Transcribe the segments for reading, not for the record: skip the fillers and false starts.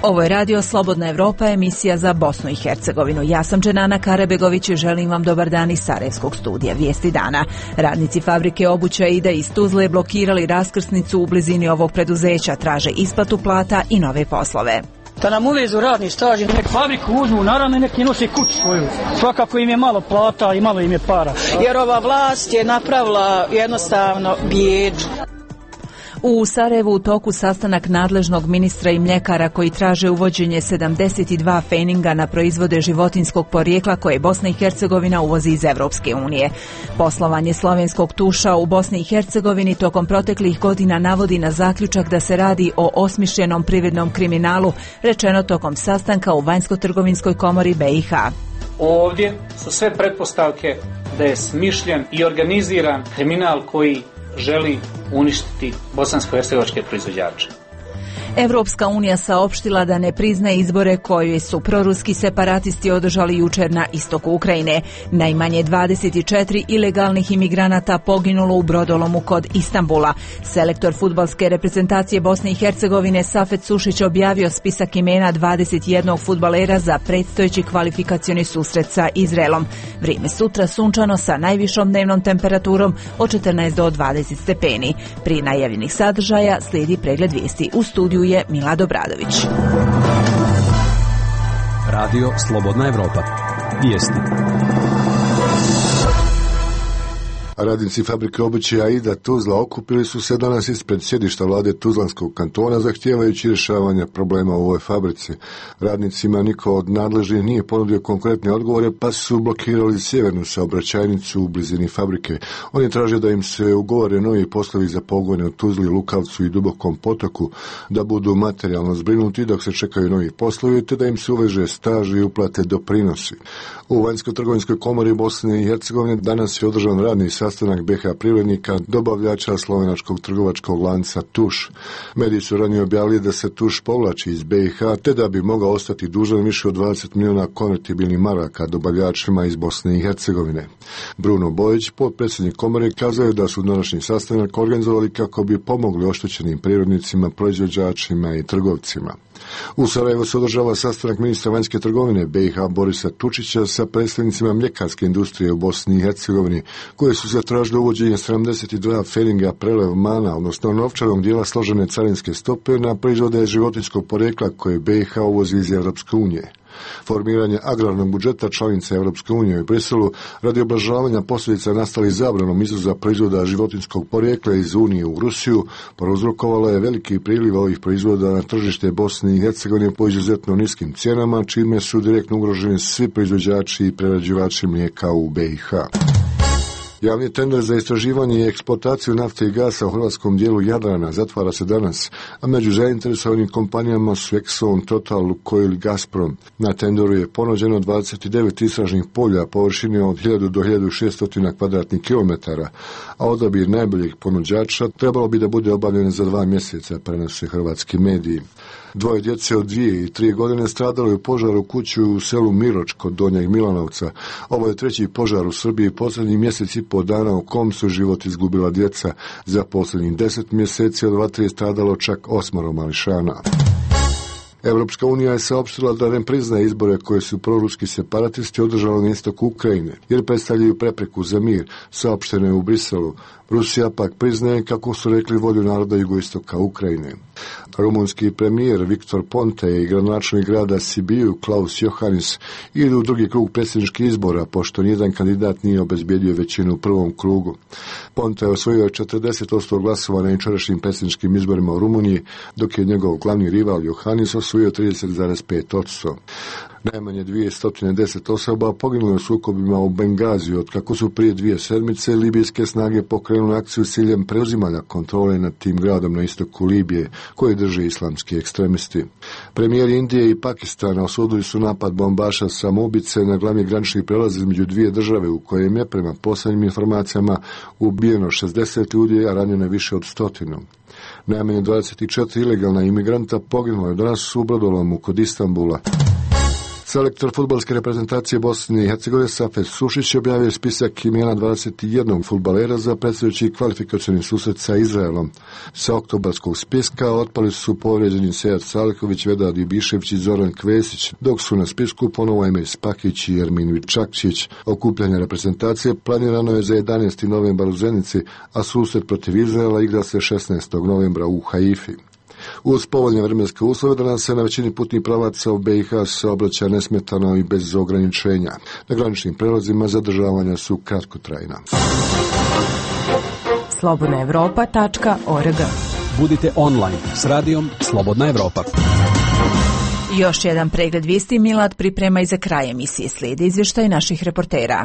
Ovo je Radio Slobodna Evropa, emisija za Bosnu i Hercegovinu. Ja sam Dženana Karabegović i želim vam dobar dan iz Sarajevskog studija. Vijesti dana. Radnici fabrike obuća Ida iz Tuzle blokirali raskrsnicu u blizini ovog preduzeća, traže isplatu plata i nove poslove. Da nam uvezu radni staž, nek fabriku uzmu naravno i nek nosi kuću svoju. Svakako im je malo plata i malo im je para. Jer ova vlast je napravila jednostavno bijedu. U Sarajevu u toku sastanak nadležnog ministra i mljekara koji traže uvođenje 72 fejninga na proizvode životinjskog porijekla koje Bosna i Hercegovina uvozi iz Evropske unije. Poslovanje slovenskog tuša u Bosni i Hercegovini tokom proteklih godina navodi na zaključak da se radi o osmišljenom privrednom kriminalu, rečeno tokom sastanka u Vanjsko-trgovinskoj komori BiH. Ovdje su sve pretpostavke da je smišljen i organiziran kriminal koji želi uništiti bosansko-hercegovačke proizvođače. Evropska unija saopštila da ne priznaje izbore koje su proruski separatisti održali jučer na istoku Ukrajine. Najmanje 24 ilegalnih imigranata poginulo u brodolomu kod Istanbula. Selektor fudbalske reprezentacije Bosne i Hercegovine Safet Sušić objavio spisak imena 21 fudbalera za predstojeći kvalifikacioni susret sa Izraelom. Vrijeme sutra sunčano sa najvišom dnevnom temperaturom od 14 do 20 stepeni. Prije najavljenih sadržaja slijedi pregled vijesti. U studiju je Milad Obradović. Radio Slobodna Evropa. Vijesti. Radnici fabrike obuće Aida Tuzla okupili su se danas ispred sjedišta vlade Tuzlanskog kantona zahtijevajući rješavanje problema u ovoj fabrici. Radnicima niko od nadležnih nije ponudio konkretne odgovore pa su blokirali sjevernu saobraćajnicu u blizini fabrike. Oni traže da im se ugovore novi poslovi za pogone u Tuzli, Lukavcu i Dubokom potoku, da budu materijalno zbrinuti dok se čekaju novi poslovi te da im se uveže staž i uplate doprinosi. U Vanjsko-trgovinskoj komori Bosne i Hercegovine danas je održan radni sastanak BiH privrednika, dobavljača slovenačkog trgovačkog lanca Tuš. Mediji su ranije objavili da se Tuš povlači iz BiH te da bi mogao ostati dužan više od 20 miliona konvertibilnih maraka dobavljačima iz Bosne i Hercegovine. Bruno Bojić, potpredsjednik komore, kazao je da su današnji sastanak organizovali kako bi pomogli oštećenim privrednicima, proizvođačima i trgovcima. U Sarajevu se održava sastanak ministra vanjske trgovine BiH Borisa Tučića sa predstavnicima mljekarske industrije u Bosni i Hercegovini, koje su zatražili uvođenje 72 fejninga prelevmana, odnosno novčanog dijela složene carinske stope na proizvode životinjskog porijekla koje BiH uvozi iz Europske unije. Formiranje agrarnog budžeta članica Europske unije u Briselu radi oblažavanja posljedica nastalih zabranom izvoza proizvoda životinjskog porijekla iz Unije u Rusiju prouzrokovalo je veliki priliv ovih proizvoda na tržište Bosne i Hercegovine po izuzetno niskim cijenama, čime su direktno ugroženi svi proizvođači i prerađivači mlijeka u BiH. Javni tender za istraživanje i eksploataciju nafte i gasa u hrvatskom dijelu Jadrana zatvara se danas, a među zainteresovanim kompanijama su Exxon, Total, Lukoil i Gazprom. Na tenderu je ponuđeno 29 istražnih polja površine od 1000 do 1600 kvadratnih kilometara, a odabir najboljeg ponuđača trebalo bi da bude obavljen za 2 mjeseca, prenose hrvatski mediji. 2 djece od 2 i 3 godine stradalo je u požaru kuću u selu Miroč kod Donjeg Milanovca. Ovo je 3. požar u Srbiji posljednjih mjesec i po dana u kom su život izgubila djeca. Za posljednjih 10 mjeseci od vatre je stradalo čak 8 mališana. Europska unija je saopštila da ne priznaje izbore koje su proruski separatisti održali na istoku Ukrajine, jer predstavljaju prepreku za mir, saopšteno je u Briselu. Rusija pak priznaje, kako su rekli, volju naroda jugoistoka Ukrajine. Rumunski premijer Viktor Ponta i gradonačelnik grada Sibiu Klaus Johannes idu u drugi krug predsjedničkih izbora, pošto nijedan kandidat nije obezbijedio većinu u prvom krugu. Ponta je osvojio 40% glasova na jučerašnjim predsjedničkim izborima u Rumuniji, dok je njegov glavni rival Johannes osvojio 30,5%. Najmanje 210 osoba poginulo u sukobima u Bengaziju, otkako su prije 2 sedmice libijske snage pokrenule akciju s ciljem preuzimanja kontrole nad tim gradom na istoku Libije, koje drže islamski ekstremisti. Premijeri Indije i Pakistana osudili su napad bombaša samoubice na glavni granični prelaz između 2 države, u kojem je, prema posljednjim informacijama, ubijeno 60 ljudi, a ranjeno je više od 100. Najmanje 24 ilegalna imigranta poginulo je danas u brodolomu kod Istanbula. Selektor fudbalske reprezentacije Bosne i Hercegovine Safet Sušić objavio spisak imena 21 fudbalera za predstojeći kvalifikacioni susret sa Izraelom. Sa oktobarskog spiska otpali su povrijeđeni Sead Saliković, Vedad Ibišević i Zoran Kvesić, dok su na spisku ponovo Emir Spakić i Ermin Vičakčić. Okupljanje reprezentacije planirano je za 11. novembar u Zenici, a susret protiv Izraela igra se 16. novembra u Haifi. Uz povoljne vremenske uslove danas se na većini putnih pravaca u BiH saobraća nesmetano i bez ograničenja. Na graničnim prelazima zadržavanja su kratkotrajna. slobodnaevropa.org. Budite online s radijom Slobodna Evropa. Još jedan pregled vijesti Milad priprema i za kraj emisije. Slijedi izvještaj naših reportera.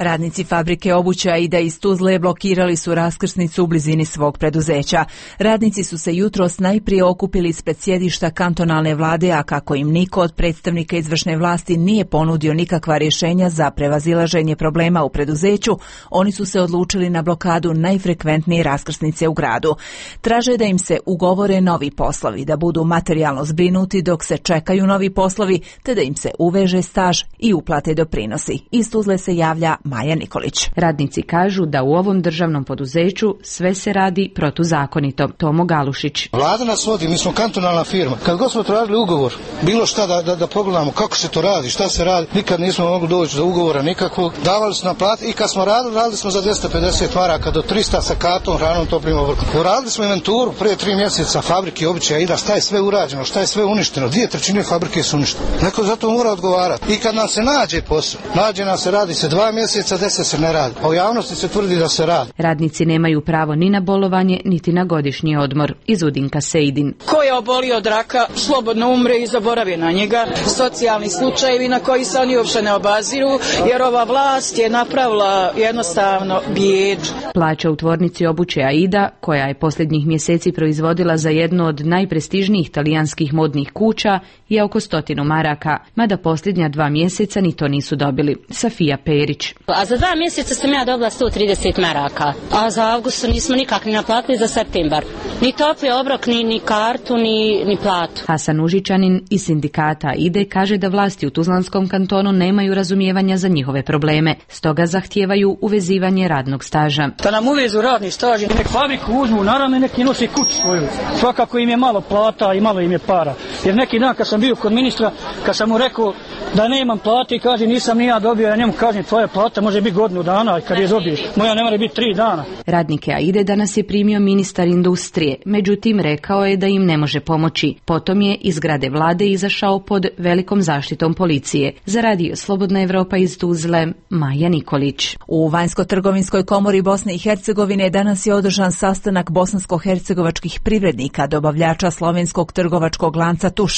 Radnici fabrike obuće Aida iz Tuzle blokirali su raskrsnicu u blizini svog preduzeća. Radnici su se jutros najprije okupili ispred sjedišta kantonalne vlade, a kako im niko od predstavnika izvršne vlasti nije ponudio nikakva rješenja za prevazilaženje problema u preduzeću, oni su se odlučili na blokadu najfrekventnije raskrsnice u gradu. Traže da im se ugovore novi poslovi, da budu materijalno zbrinuti dok se čekaju novi poslovi, te da im se uveže staž i uplate doprinosi. Iz Tuzle se javlja Maja Nikolić. Radnici kažu da u ovom državnom poduzeću sve se radi protuzakonito. Tomo Galušić. Vlada nas vodi, mi smo kantonalna firma. Kad god smo tražili ugovor, bilo šta da pogledamo kako se to radi, šta se radi, nikad nismo mogli doći do ugovora nikakvog. Davali su nam plate i kad smo radili smo za 250 maraka do 300 sa kartom, hranom, toplim obrkom. Uradili smo inventuru prije 3 mjeseca fabrike običaja Aida, šta je sve urađeno, šta je sve uništeno. 2/3 fabrike su uništene. Neko za to mora odgovarati. I kad nam se nađe posao, nađe nam se, radi se 2 mjeseca, 10 se ne radi. A u javnosti se tvrdi da se radi. Radnici nemaju pravo ni na bolovanje, niti na godišnji odmor. Iz Udinka Sejdin. Ko je obolio od raka, slobodno umre i zaboravi na njega. Socijalni slučajevi na koji se oni uopšte ne obaziru, jer ova vlast je napravila jednostavno bijedu. Plaća u tvornici obuće Aida, koja je posljednjih mjeseci proizvodila za jednu od najprestižnijih talijanskih modnih kuća, je oko 100 maraka, mada posljednja 2 mjeseca ni to nisu dobili. Safija Perić. A za 2 mjeseca sam ja dobila 130 maraka, a za avgust nismo nikak ni naplatili, za septembar. Ni topli obrok, ni kartu, ni platu. Hasan Užičanin iz sindikata Aide kaže da vlasti u Tuzlanskom kantonu nemaju razumijevanja za njihove probleme, stoga zahtijevaju uvezivanje radnog staža. Da nam uvezu radni staž, nek fabriku uzmu, naravno neki nosi kuću svoju. Svakako im je malo plata i malo im je para. Jer neki dan kad sam bio kod ministra, kad sam mu rekao da nemam plate i kaže nisam ni ja dobio, ja njemu kažem tvoja plata može biti godinu dana, kad je dobiješ, moja ne mora biti 3 dana. Radnike Aide danas je primio ministar industrije, međutim rekao je da im ne može pomoći. Potom je iz zgrade vlade izašao pod velikom zaštitom policije. Za radio Slobodna Evropa iz Tuzle, Maja Nikolić. U Vanjsko-trgovinskoj komori Bosne i Hercegovine danas je održan sastanak bosansko-hercegovačkih privrednika, dobavljača slovenskog trgovačkog lanca Tuš.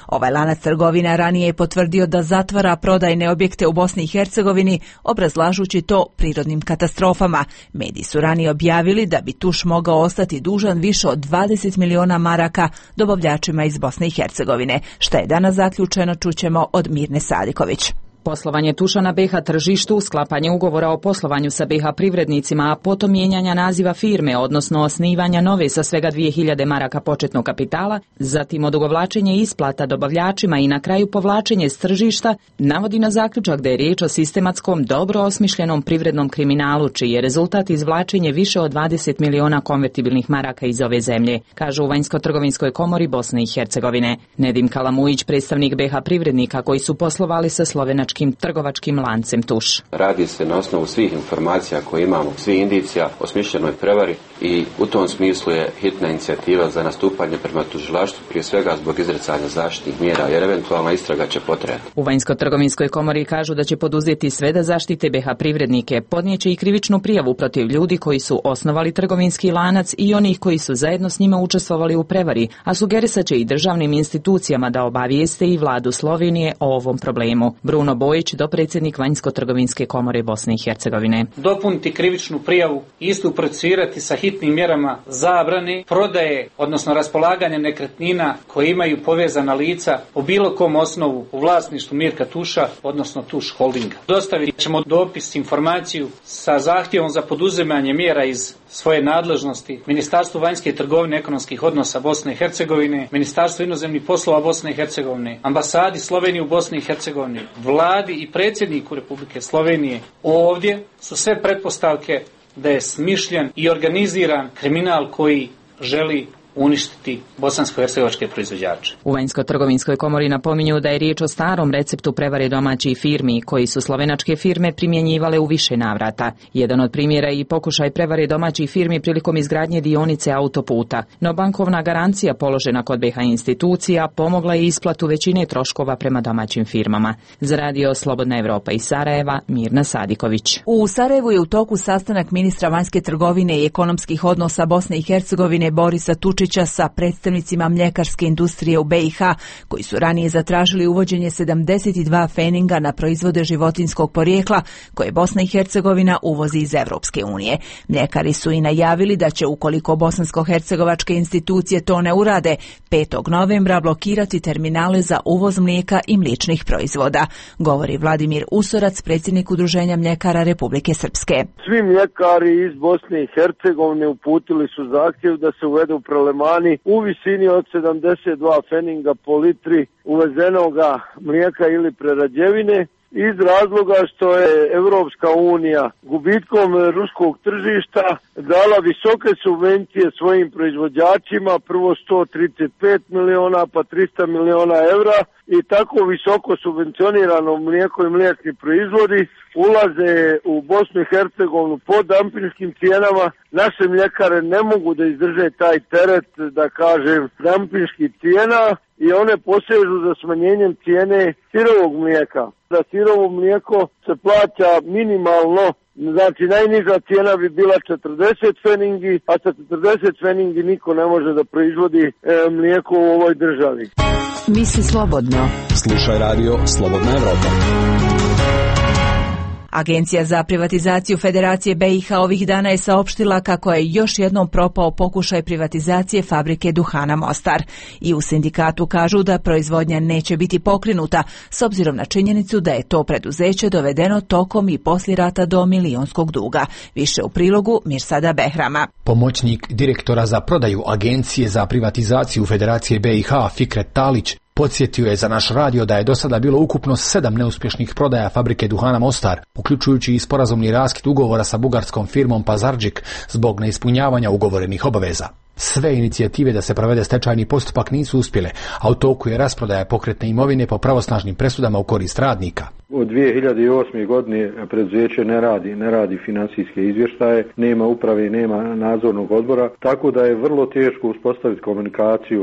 Ovaj lanac trgovina ranije je potvrdio da zatvara prodajne objekte u Bosni i Hercegovini, obrazlažući to prirodnim katastrofama. Mediji su ranije objavili da bi Tuš mogao ostati dužan više od 20 miliona maraka dobavljačima iz Bosne i Hercegovine. Šta je danas zaključeno, čućemo od Mirne Sadiković. Poslovanje Tuša na BiH tržištu, sklapanje ugovora o poslovanju sa BiH privrednicima, a potom mijenjanja naziva firme, odnosno osnivanja nove sa svega 2000 maraka početnog kapitala, zatim odugovlačenje isplata dobavljačima i na kraju povlačenje s tržišta, navodi na zaključak da je riječ o sistematskom, dobro osmišljenom privrednom kriminalu, čiji je rezultat izvlačenje više od 20 miliona konvertibilnih maraka iz ove zemlje, kažu u Vanjsko-trgovinskoj komori Bosne i Hercegovine. Nedim Kalamujić, predstavnik BiH privrednika koji su poslovali sa slovenačkim trgovačkim lancem Tuš. Radi se na osnovu svih informacija koje imamo, svih indicija o smišljenoj prevari i u tom smislu je hitna inicijativa za nastupanje prema tužilaštvu, prije svega zbog izricanja zaštitnih mjera, jer eventualna istraga će potrajati. U Vanjsko-trgovinskoj komori kažu da će poduzeti sve da zaštite BiH privrednike, podnijeće i krivičnu prijavu protiv ljudi koji su osnovali trgovinski lanac i onih koji su zajedno s njima učestvovali u prevari, a sugerisat će i državnim institucijama da obavijeste i vladu Slovenije o ovom problemu. Bruno Bojić, dopredsjednik Vanjsko-trgovinske komore Bosne i Hercegovine. Dopuniti krivičnu prijavu, istu procesuirati sa hitnim mjerama zabrane prodaje, odnosno raspolaganja nekretnina koje imaju povezana lica po bilo kom osnovu u vlasništvu Mirka Tuša, odnosno Tuš Holdinga. Dostavit ćemo dopis, informaciju sa zahtjevom za poduzimanje mjera iz svoje nadležnosti Ministarstvu vanjske trgovine i ekonomskih odnosa Bosne i Hercegovine, Ministarstvu inozemnih poslova Bosne i Hercegovine, ambasadi Slovenije u Bosni i Hercegovini, vladi i predsjedniku Republike Slovenije. Ovdje su sve pretpostavke da je smišljen i organiziran kriminal koji želi uništiti bosansko-hercegovačke proizvođače. U Vanjsko-trgovinskoj komori napominju da je riječ o starom receptu prevare domaćih firmi koji su slovenačke firme primjenjivale u više navrata. Jedan od primjera je i pokušaj prevare domaćih firmi prilikom izgradnje dionice autoputa, no bankovna garancija položena kod BiH institucija pomogla je isplatu većine troškova prema domaćim firmama. Za radio Slobodna Evropa iz Sarajeva, Mirna Sadiković. U Sarajevu je u toku sastanak ministra vanjske trgovine i ekonomskih odnosa Bosne i Hercegovine Borisa Tučića sa predstavnicima mljekarske industrije u BiH, koji su ranije zatražili uvođenje 72 feninga na proizvode životinjskog porijekla koje Bosna i Hercegovina uvozi iz Evropske unije. Mljekari su i najavili da će, ukoliko bosansko-hercegovačke institucije to ne urade, 5. novembra blokirati terminale za uvoz mlijeka i mliječnih proizvoda, govori Vladimir Usorac, predsjednik Udruženja mljekara Republike Srpske. Svi mljekari iz Bosne i Hercegovine uputili su zahtjev da se uvedu prelemani u visini od 72 feninga po litri uvezenoga mlijeka ili prerađevine, iz razloga što je Evropska unija gubitkom ruskog tržišta dala visoke subvencije svojim proizvođačima, prvo 135 miliona pa 300 miliona evra, i tako visoko subvencionirano mlijeko i mliječni proizvodi ulaze u Bosnu i Hercegovinu po dampinškim cijenama. Naše mljekare ne mogu da izdrže taj teret, da kažem, dampinških cijena, i one posežu za smanjenjem cijene sirovog mlijeka. Za sirovo mlijeko se plaća minimalno, znači najniža cijena bi bila 40 feningi, a sa 40 feningi niko ne može da proizvodi mlijeko u ovoj državi. Misli slobodno. Slušaj radio Slobodna Evropa. Agencija za privatizaciju Federacije BiH ovih dana je saopštila kako je još jednom propao pokušaj privatizacije fabrike duhana Mostar. I u sindikatu kažu da proizvodnja neće biti pokrenuta, s obzirom na činjenicu da je to preduzeće dovedeno tokom i poslije rata do milionskog duga. Više u prilogu Mirsada Behrama. Pomoćnik direktora za prodaju Agencije za privatizaciju Federacije BiH Fikret Talić podsjetio je za naš radio da je do sada bilo ukupno 7 neuspješnih prodaja fabrike duhana Mostar, uključujući i sporazumni raskid ugovora sa bugarskom firmom Pazardžik zbog neispunjavanja ugovorenih obaveza. Sve inicijative da se provede stečajni postupak nisu uspjele, a u toku je rasprodaja pokretne imovine po pravosnažnim presudama u korist radnika. Od 2008. godine preduzeće ne radi financijske izvještaje, nema uprave, nema nadzornog odbora, tako da je vrlo teško uspostaviti komunikaciju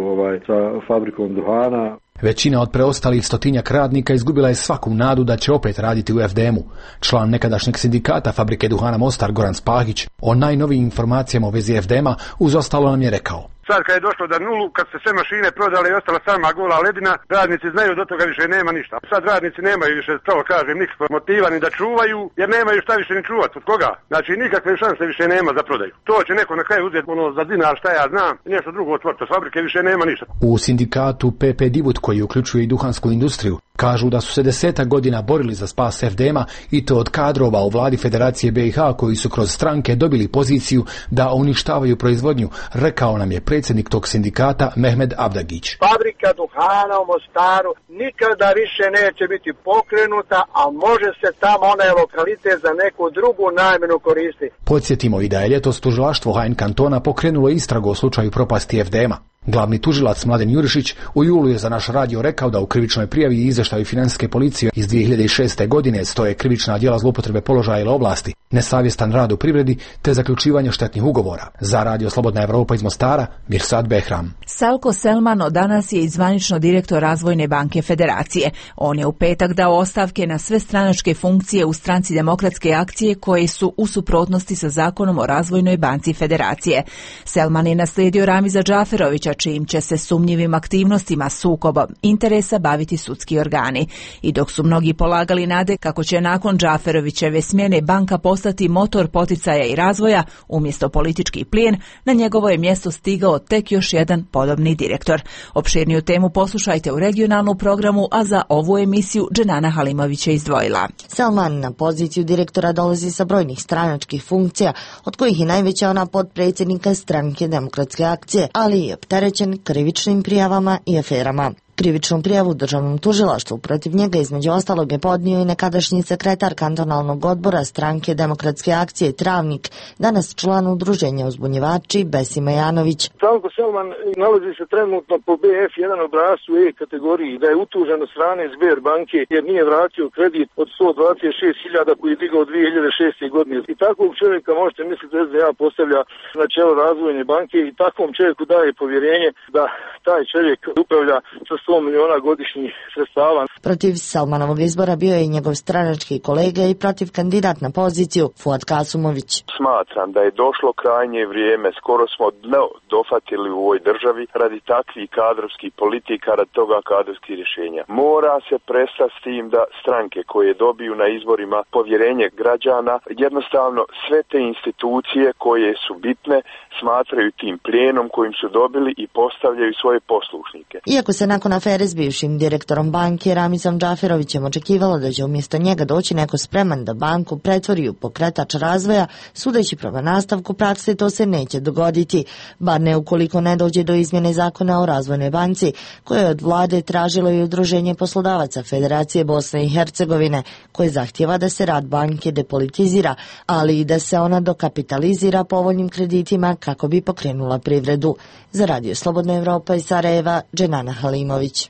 sa fabrikom duhana. Većina od preostalih 100-tinjak radnika izgubila je svaku nadu da će opet raditi u FDM-u. Član nekadašnjeg sindikata fabrike duhana Mostar Goran Spahić o najnovijim informacijama u vezi FDM-a uz ostalo nam je rekao: Sad kad je došlo do nulu, kad se sve mašine prodale i ostala sama gola ledina, radnici znaju do toga više nema ništa. Sad radnici nemaju više, to kažem, nikakvog motiva ni da čuvaju, jer nemaju šta više ni čuvati. Od koga? Znači nikakve šanse više nema za prodaju. To će neko na kraju uzeti za dinar, šta ja znam, i nešto drugo otvoriti. Od fabrike više nema ništa. U sindikatu PP Divut, koji uključuje i duhansku industriju, kažu da su se 10 godina borili za spas FDM-a, i to od kadrova u vladi Federacije BiH koji su kroz stranke dobili poziciju da uništavaju proizvodnju, rekao nam je predsjednik tog sindikata Mehmed Abdagić. Fabrika duhana u Mostaru nikada više neće biti pokrenuta, a može se tamo onaj lokalitet za neku drugu namjenu koristiti. Podsjetimo i da je ljetos tužilaštvo HN kantona pokrenulo istragu o slučaju propasti FDM-a. Glavni tužilac Mladen Jurišić u julu je za naš radio rekao da u krivičnoj prijavi i izvještaju financijske policije iz 2006. godine stoje krivična djela zloupotrebe položaja ili ovlasti, nesavjestan rad u privredi te zaključivanje štetnih ugovora. Za radio Slobodna Evropa iz Mostara, Mirsad Behram. Salko Selmano danas je zvanično direktor Razvojne banke Federacije. On je u petak dao ostavke na sve stranačke funkcije u Stranci demokratske akcije koje su u suprotnosti sa zakonom o Razvojnoj banci Federacije. Selman je naslijedio Ramiza Džaferovića, čijim će se sumnjivim aktivnostima sukobom interesa baviti sudski organi. I dok su mnogi polagali nade kako će nakon Džaferovićeve smjene banka postati motor poticaja i razvoja umjesto politički plijen, na njegovo je mjesto stigao tek još jedan podobni direktor. Opširniju temu poslušajte u regionalnom programu, a za ovu emisiju Dženana Halimović je izdvojila. Salman na poziciju direktora dolazi sa brojnih stranačkih funkcija, od kojih je najveća ona potpredsjednika Stranke demokratske akcije, ali je opterećen krivičnim prijavama i aferama. Krivičnu prijavu državnom tužilaštvu protiv njega između ostalog je podnio i nekadašnji sekretar kantonalnog odbora Stranke demokratske akcije Travnik, danas član udruženja uzbunjivači Besima Janović. Salko Selman nalazi se trenutno po BF1 obrascu E kategoriji, da je utužen od strane Sber banke jer nije vratio kredit od 126.000 koji je digao 2006. godine. I takvog čovjeka možete misliti da SDA postavlja na čelo razvojne banke i takvom čovjeku daje povjerenje da taj čovjek upravlja sa 100 miliona godišnjih sredstava. Protiv Salmanovog izbora bio je i njegov stranački kolega i protiv kandidat na poziciju Fuad Kasumović. Smatram da je došlo krajnje vrijeme, skoro smo dno dofatili u ovoj državi radi takvih kadrovskih politika, radi toga kadrovskih rješenja. Mora se prestati s tim da stranke koje dobiju na izborima povjerenje građana, jednostavno sve te institucije koje su bitne smatraju tim plijenom kojim su dobili i postavljaju svoje poslušnike. Iako se nakon afere s bivšim direktorom banke Ramizom Džaferovićem očekivalo da će umjesto njega doći neko spreman da banku pretvori u pokretač razvoja, sudeći prema nastavku prakse to se neće dogoditi, bar ne ukoliko ne dođe do izmjene zakona o razvojnoj banci, koje je od vlade tražilo i Udruženje poslodavaca Federacije Bosne i Hercegovine, koje zahtjeva da se rad banke depolitizira, ali i da se ona dokapitalizira povoljnim kreditima kako bi pokrenula privredu. Za Radio Slobodna Evropa iz Sarajeva, Dženana Halimović.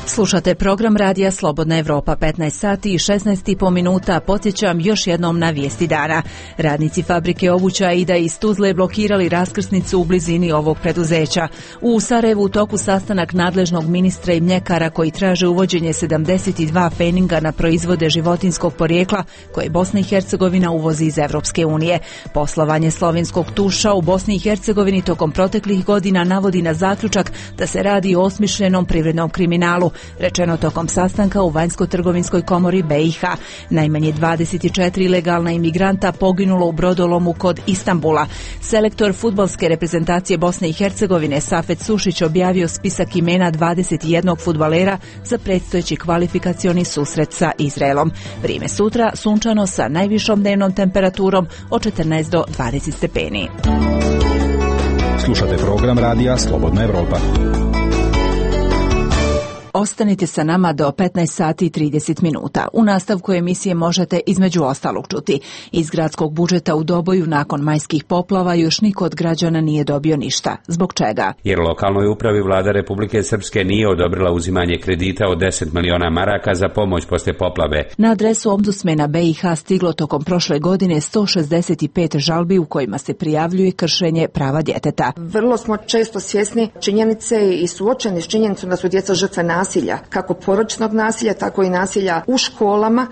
Slušate program Radija Slobodna Evropa, 15 sati i 16,5 minuta. Podsjećam još jednom na vijesti dana. Radnici fabrike obuća Aida iz Tuzle blokirali raskrsnicu u blizini ovog preduzeća. U Sarajevu u toku sastanak nadležnog ministra i mljekara koji traže uvođenje 72 feninga na proizvode životinskog porijekla koje Bosna i Hercegovina uvozi iz Evropske unije. Poslovanje slovenskog tuša u Bosni i Hercegovini tokom proteklih godina navodi na zaključak da se radi o osmišljenom privrednom kriminalu, rečeno tokom sastanka u Vanjsko-trgovinskoj komori BiH. Najmanje 24 ilegalna imigranta poginulo u brodolomu kod Istanbula. Selektor fudbalske reprezentacije Bosne i Hercegovine Safet Sušić objavio spisak imena 21 fudbalera za predstojeći kvalifikacioni susret sa Izraelom. Vrijeme sutra sunčano sa najvišom dnevnom temperaturom od 14 do 20 stepeni. Slušate program Radija Slobodna Evropa. Ostanite sa nama do 15 sati i 30 minuta. U nastavku emisije možete između ostalog čuti: iz gradskog budžeta u Doboju nakon majskih poplava još niko od građana nije dobio ništa. Zbog čega? Jer lokalnoj upravi vlada Republike Srpske nije odobrila uzimanje kredita od 10 miliona maraka za pomoć poslije poplave. Na adresu ombudsmena BiH stiglo tokom prošle godine 165 žalbi u kojima se prijavljuje kršenje prava djeteta. Vrlo smo često svjesni činjenice i suočeni s činjenicom da su djeca žrtve nasilja, kako porodičnog nasilja, tako i nasilja u školama.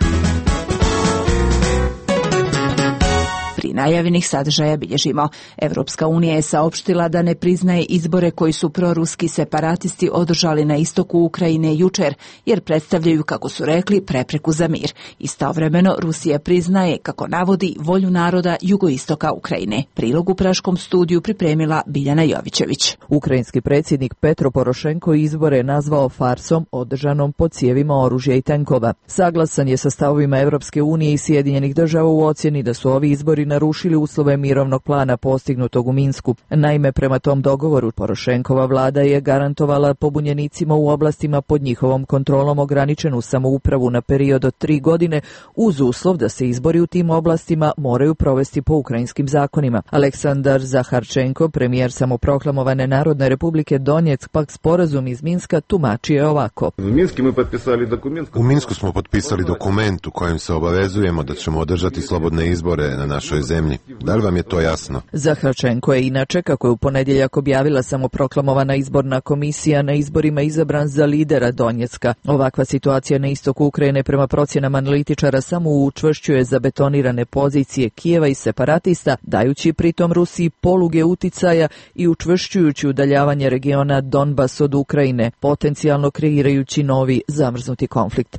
Pri najavljenih sadržaja bilježimo: Evropska unija je saopštila da ne priznaje izbore koji su proruski separatisti održali na istoku Ukrajine jučer, jer predstavljaju, kako su rekli, prepreku za mir. Istovremeno Rusija priznaje, kako navodi, volju naroda jugoistoka Ukrajine. Prilog u Praškom studiju pripremila Biljana Jovićević. Ukrajinski predsjednik Petro Porošenko izbore je nazvao farsom održanom pod cijevima oružja i tenkova. Saglasan je sa stavovima Evropske unije i Sjedinjenih država u ocjeni da su ovi izbori narušili uslove mirovnog plana postignutog u Minsku. Naime, prema tom dogovoru Porošenkova vlada je garantovala pobunjenicima u oblastima pod njihovom kontrolom ograničenu samoupravu na period od 3 godine uz uslov da se izbori u tim oblastima moraju provesti po ukrajinskim zakonima. Aleksandar Zaharčenko, premijer samoproklamovane Narodne republike Donjeck, pak sporazum iz Minska tumačio ovako. U Minsku smo potpisali dokument u kojem se obavezujemo da ćemo održati slobodne izbore na našoj zemlji. Da li vam je to jasno? Zahračenko je inače, kako je u ponedjeljak objavila samoproklamovana izborna komisija, na izborima izabran za lidera Donjecka. Ovakva situacija na istoku Ukrajine prema procjenama analitičara samo učvršćuje zabetonirane pozicije Kijeva i separatista, dajući pritom Rusiji poluge uticaja i učvršćujući udaljavanje regiona Donbas od Ukrajine, potencijalno kreirajući novi zamrznuti konflikt.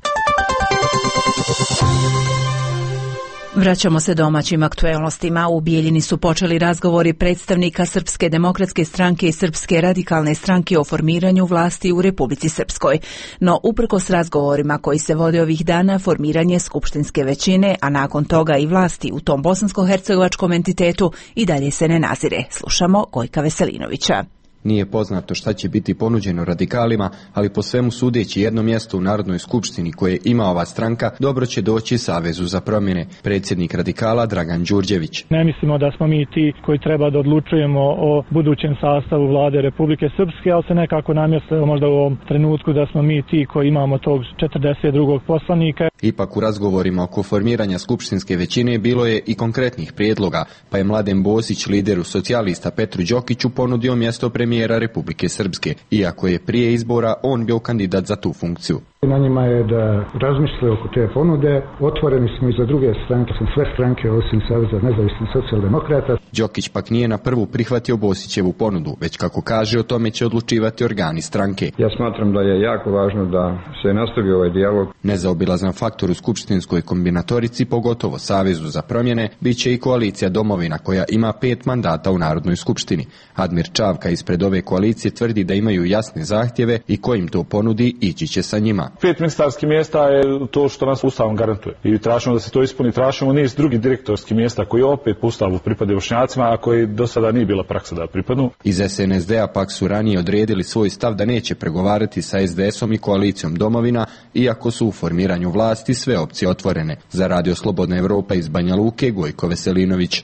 Vraćamo se domaćim aktuelnostima. U Bijeljini su počeli razgovori predstavnika Srpske demokratske stranke i Srpske radikalne stranke o formiranju vlasti u Republici Srpskoj. No, uprkos razgovorima koji se vode ovih dana, formiranje skupštinske većine, a nakon toga i vlasti u tom bosansko-hercegovačkom entitetu i dalje se ne nazire. Slušamo Gojka Veselinovića. Nije poznato šta će biti ponuđeno radikalima, ali po svemu sudeći jedno mjesto u Narodnoj skupštini koje ima ova stranka dobro će doći Savezu za promjene. Predsjednik radikala Dragan Đurđević. Ne mislimo da smo mi ti koji treba da odlučujemo o budućem sastavu vlade Republike Srpske, ali se nekako namjestilo možda u ovom trenutku da smo mi ti koji imamo tog 42. poslanika. Ipak u razgovorima oko formiranja skupštinske većine bilo je i konkretnih prijedloga, pa je Mladen Bosić, lideru socijalista Petru Đokiću, ponudio mjesto premijera Republike Srpske, iako je prije izbora on bio kandidat za tu funkciju. Na njima je da razmisle oko te ponude. Otvoreni smo i za druge stranke, sve stranke osim Saveza nezavisnih socijaldemokrata. Đokić pak nije na prvu prihvatio Bosićevu ponudu, već kako kaže o tome će odlučivati organi stranke. Ja smatram da je jako važno da se nastavi ovaj dijalog. Nezaobilazan faktor u skupštinskoj kombinatorici, pogotovo Savezu za promjene, bit će i koalicija Domovina koja ima 5 mandata u Narodnoj skupštini. Admir Čavka ispred ove koalicije tvrdi da imaju jasne zahtjeve i ko im to ponudi ići će sa njima. 5 ministarskih mjesta je to što nas Ustavom garantuje. I tražimo da se to ispuni, tražimo niz drugih direktorskih mjesta koji opet po Ustavu pripadaju Bošnjacima, a koji do sada nije bila praksa da pripadnu. Iz SNSD-a pak su ranije odredili svoj stav da neće pregovarati sa SDS-om i koalicijom Domovina, iako su u formiranju vlasti sve opcije otvorene. Za Radio Slobodna Evropa iz Banja Luke, Gojko Veselinović.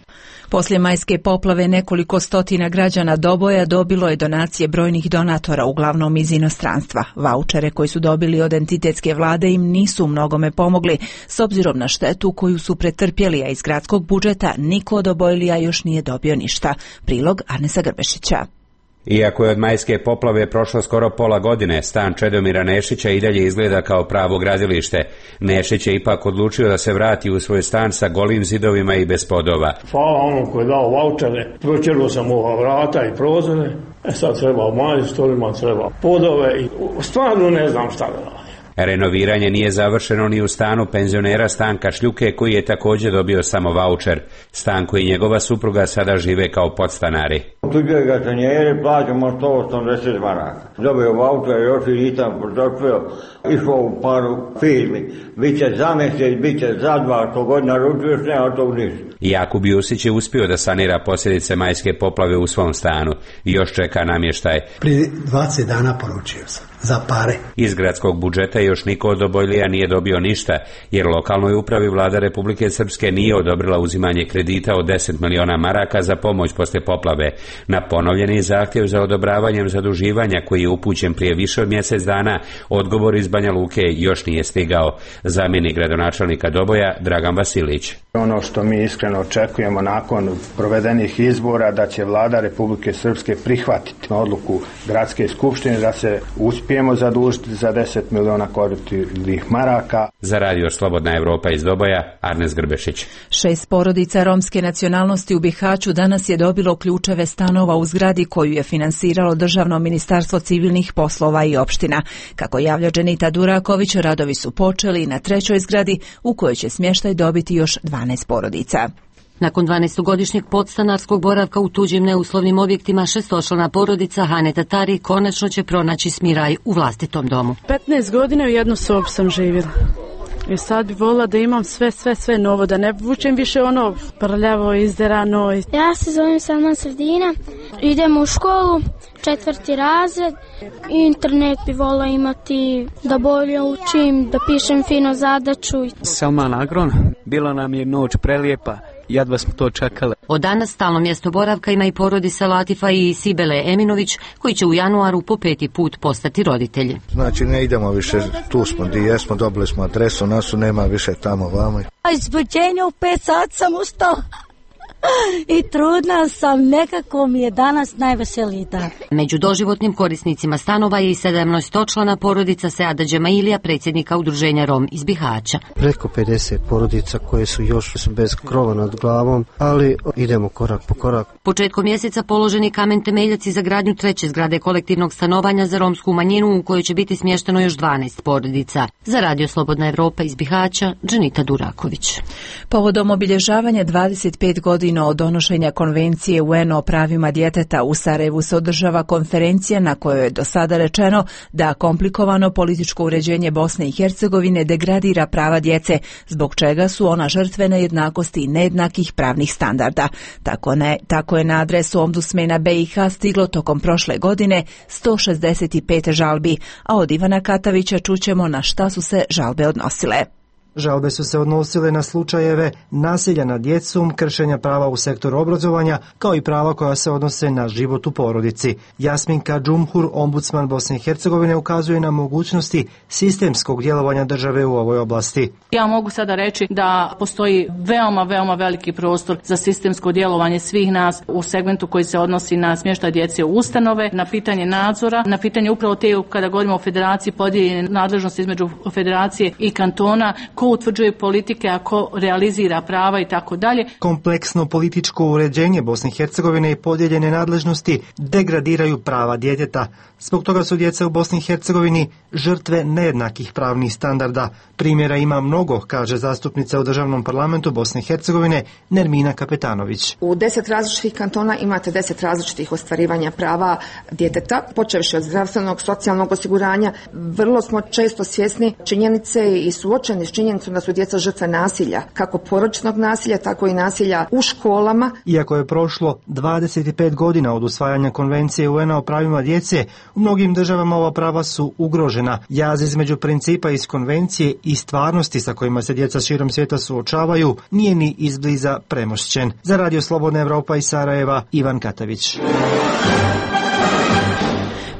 Poslije majske poplave nekoliko stotina građana Doboja dobilo je donacije brojnih donatora, uglavnom iz inostranstva. Vaučere koji su dobili od entitetske vlade im nisu mnogome pomogli, s obzirom na štetu koju su pretrpjeli, a iz gradskog budžeta niko od obojlija još nije dobio ništa. Prilog Arnesa Grbešića. Iako je od majske poplave prošlo skoro pola godine, stan Čedomira Nešića i dalje izgleda kao pravo gradilište. Nešić je ipak odlučio da se vrati u svoj stan sa golim zidovima i bez podova. Hvala onom koji je dao vaučere, pročeruo sam ova vrata i prozore, sad treba majstorima, treba podove i stvarno ne znam šta da radim. Renoviranje nije završeno ni u stanu penzionera Stanka Šljuke, koji je također dobio samo vaučer. Stanko i njegova supruga sada žive kao podstanari. Tuđe gatanjere plaćamo 180 maraka. Dobio vaučer, još i nisam portofel, išao u paru firmi. Biće za mjesec, biće za 2, godina ručuješ, nema tog ništa. Jakub Jusić je uspio da sanira posljedice majske poplave u svom stanu. Još čeka namještaj. Prije 20 dana poručio sam. Za pare. Iz gradskog budžeta još niko od obojlija nije dobio ništa, jer lokalnoj upravi vlada Republike Srpske nije odobrila uzimanje kredita od 10 miliona maraka za pomoć poslije poplave. Na ponovljeni zahtjev za odobravanjem zaduživanja, koji je upućen prije više od mjesec dana, odgovor iz Banja Luke još nije stigao. Zamjenik gradonačelnika Doboja Dragan Vasilić. Ono što mi iskreno očekujemo nakon provedenih izbora, da će vlada Republike Srpske prihvatiti odluku gradske skupštine da se uspijemo zadužiti za 10 miliona koruptivnih maraka. Za Radio Slobodna Evropa iz Doboja, Arnes Grbešić. 6 porodica romske nacionalnosti u Bihaću danas je dobilo ključeve stanova u zgradi koju je finansiralo Državno ministarstvo civilnih poslova i opština. Kako javlja Dženita Duraković, radovi su počeli na 3. zgradi u kojoj će smještaj dobiti još 12 porodica. Nakon 12-godišnjeg podstanarskog boravka u tuđim neuslovnim objektima, 6-člana porodica Hane Tatari konačno će pronaći smiraj u vlastitom domu. 15 godina u jednu sobu sam živjela. I sad bi volila da imam sve novo, da ne vučem više ono prljavo, izderano. Ja se zovem Salman Sredina, idem u školu, 4. razred, internet bi volila imati da bolje učim, da pišem fino zadaću. Salman Agron, bila nam je noć prelijepa. Jedva smo to čekali. Od danas stalno mjesto boravka ima i porodica Latifa i Sibele Eminović, koji će u januaru po 5. put postati roditelji. Znači ne idemo više, tu smo gdje jesmo, dobili smo adresu, nasu nema više tamo vamo. A izbuđenje u 5 sati sam ustala i trudna sam, nekako mi je danas najveseliji dan. Među doživotnim korisnicima stanova je i 17-člana porodica Seada Džemailija, predsjednika udruženja Rom iz Bihaća. Preko 50 porodica koje su još bez krova nad glavom, ali idemo korak po korak. Početkom mjeseca položeni kamen temeljac za gradnju treće zgrade kolektivnog stanovanja za romsku manjinu u kojoj će biti smješteno još 12 porodica. Za Radio Slobodna Evropa iz Bihaća, Dženita Duraković. Povodom obilježavanja 25 godina od donošenja Konvencije UN o pravima djeteta u Sarajevu se održava konferencija na kojoj je do sada rečeno da komplikovano političko uređenje Bosne i Hercegovine degradira prava djece, zbog čega su ona žrtve nejednakosti i nejednakih pravnih standarda. Tako je na adresu ombudsmena BiH stiglo tokom prošle godine 165 žalbi, a od Ivana Katavića čućemo na šta su se žalbe odnosile. Žalbe su se odnosile na slučajeve nasilja nad djecom, kršenja prava u sektoru obrazovanja, kao i prava koja se odnose na život u porodici. Jasminka Džumhur, ombudsman Bosne i Hercegovine, ukazuje na mogućnosti sistemskog djelovanja države u ovoj oblasti. Ja mogu sada reći da postoji veoma veliki prostor za sistemsko djelovanje svih nas u segmentu koji se odnosi na smještaj djece u ustanove, na pitanje nadzora, na pitanje upravo te kada govorimo o federaciji podijeljene nadležnosti između federacije i kantona, ko utvrđuje politike, a ko realizira prava i tako dalje. Kompleksno političko uređenje Bosne i Hercegovine i podijeljene nadležnosti degradiraju prava djeteta. Zbog toga su djeca u Bosni i Hercegovini žrtve nejednakih pravnih standarda. Primjera ima mnogo, kaže zastupnica u Državnom parlamentu Bosne i Hercegovine Nermina Kapetanović. U 10 različitih kantona imate 10 različitih ostvarivanja prava djeteta, počevši od zdravstvenog, socijalnog osiguranja. Vrlo smo često svjesni činjenice i suočeni s činjenicom da su djeca žrtve nasilja, kako porodičnog nasilja, tako i nasilja u školama. Iako je prošlo 25 godina od usvajanja Konvencije UN o pravima djece, u mnogim državama ova prava su ugrožena. Jaz između principa iz konvencije i stvarnosti sa kojima se djeca širom svijeta suočavaju nije ni izbliza premošćen. Za Radio Slobodna Evropa iz Sarajeva, Ivan Katavić.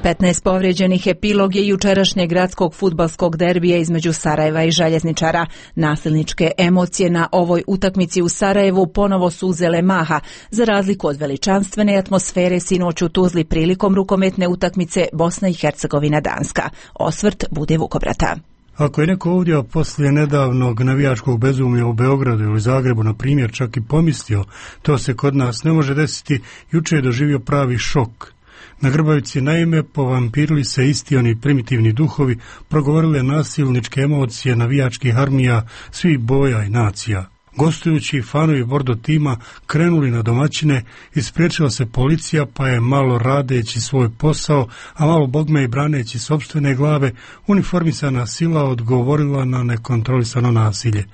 15 povrijeđenih epilog je jučerašnjeg gradskog fudbalskog derbija između Sarajeva i Željezničara. Nasilničke emocije na ovoj utakmici u Sarajevu ponovo su uzele maha, za razliku od veličanstvene atmosfere sinoć u Tuzli prilikom rukometne utakmice Bosna i Hercegovina-Danska. Osvrt Bude Vukobrata. Ako je neko ovdje poslije nedavnog navijačkog bezumlja u Beogradu ili Zagrebu, na primjer, čak i pomislio, to se kod nas ne može desiti, juče je doživio pravi šok. Na Grbavici naime povampirili se isti oni primitivni duhovi, progovorile nasilničke emocije navijačkih armija svih boja i nacija. Gostujući fanovi Bordo tima krenuli na domaćine, ispriječila se policija, pa je malo radeći svoj posao, a malo bogme i braneći sopstvene glave, uniformisana sila odgovorila na nekontrolisano nasilje.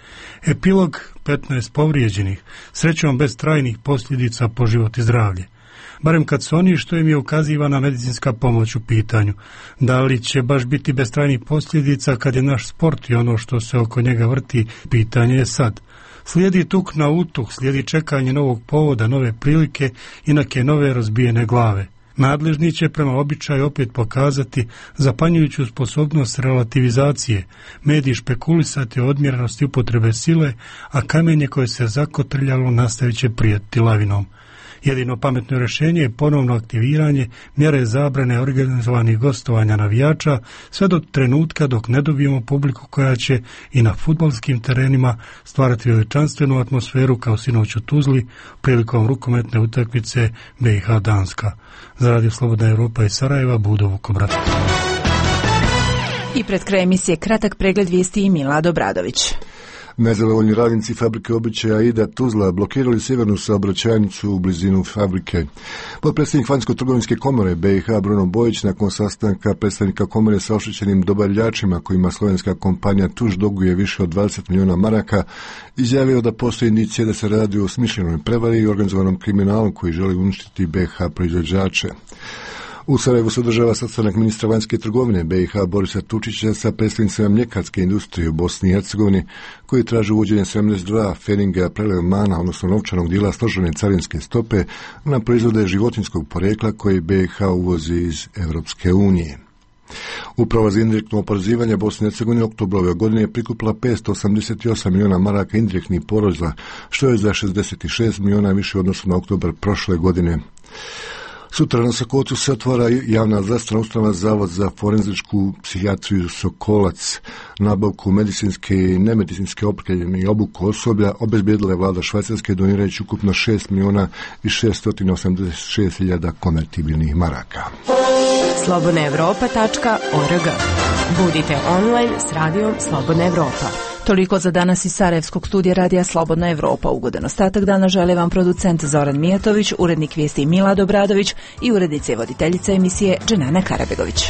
Epilog 15 povrijeđenih, srećom bez trajnih posljedica po život i zdravlje. Barem kad su oni što im je ukazivana medicinska pomoć u pitanju. Da li će baš biti bez trajnih posljedica kad je naš sport i ono što se oko njega vrti, pitanje je sad. Slijedi tuk na utuk, slijedi čekanje novog povoda, nove prilike i neke nove razbijene glave. Nadležni će prema običaju opet pokazati zapanjujuću sposobnost relativizacije, mediji špekulisati o odmjerenosti upotrebe sile, a kamenje koje se zakotrljalo nastavit će prijeti lavinom. Jedino pametno rješenje je ponovno aktiviranje mjere zabrane organizovanih gostovanja navijača sve do trenutka dok ne dobijemo publiku koja će i na fudbalskim terenima stvarati veličanstvenu atmosferu kao sinoć u Tuzli prilikom rukometne utakmice BiH Danska. Za Radio Slobodna Evropa iz Sarajeva, Budo Vukobrad. I pred kraj emisije kratak pregled vijesti i Milad Obradović. Nezadovoljni radnici fabrike obuće Aida Tuzla blokirali sjevernu saobraćajnicu u blizinu fabrike. Potpredsjednik Vanjsko-trgovinske komore BiH Bruno Bojić nakon sastanka predstavnika komore sa oštećenim dobavljačima kojima slovenska kompanija Tuž duguje više od 20 milijuna maraka izjavio da postoji indicije da se radi o smišljenoj prevari i organizovanom kriminalu koji želi uništiti BiH proizvođače. U Sarajevu se održava sastanak ministra vanjske trgovine BiH Borisa Tučića sa predstavnicima mljekarske industrije u Bosni i Hercegovini koji traže uvođenje 72 feninga prelevmana, odnosno novčanog dijela složene carinske stope na proizvode životinjskog porijekla koji BiH uvozi iz Europske unije. Uprava za indirektno oporezivanje Bosne i Hercegovine u oktobru ove godine je prikupila 588 milijuna maraka indirektnih poreza, što je za 66 milijuna više u odnosu na oktobar prošle godine. Sutra na Sokolcu se otvara javna zdravstvena ustanova Zavod za forenzičku psihijatriju Sokolac. Nabavku medicinske i nemedicinske opreme i obuku osoblja obezbijedila je vlada Švajcarske donirajući ukupno 6 milijuna i 686 hiljada konvertibilnih maraka. slobodnaevropa.org. Budite online s radijom Slobodna Evropa. Toliko za danas iz Sarajevskog studija radija Slobodna Evropa. Ugodan ostatak dana žele vam producent Zoran Mijatović, urednik vijesti Milad Obradović i urednica i voditeljica emisije Dženana Karabegović.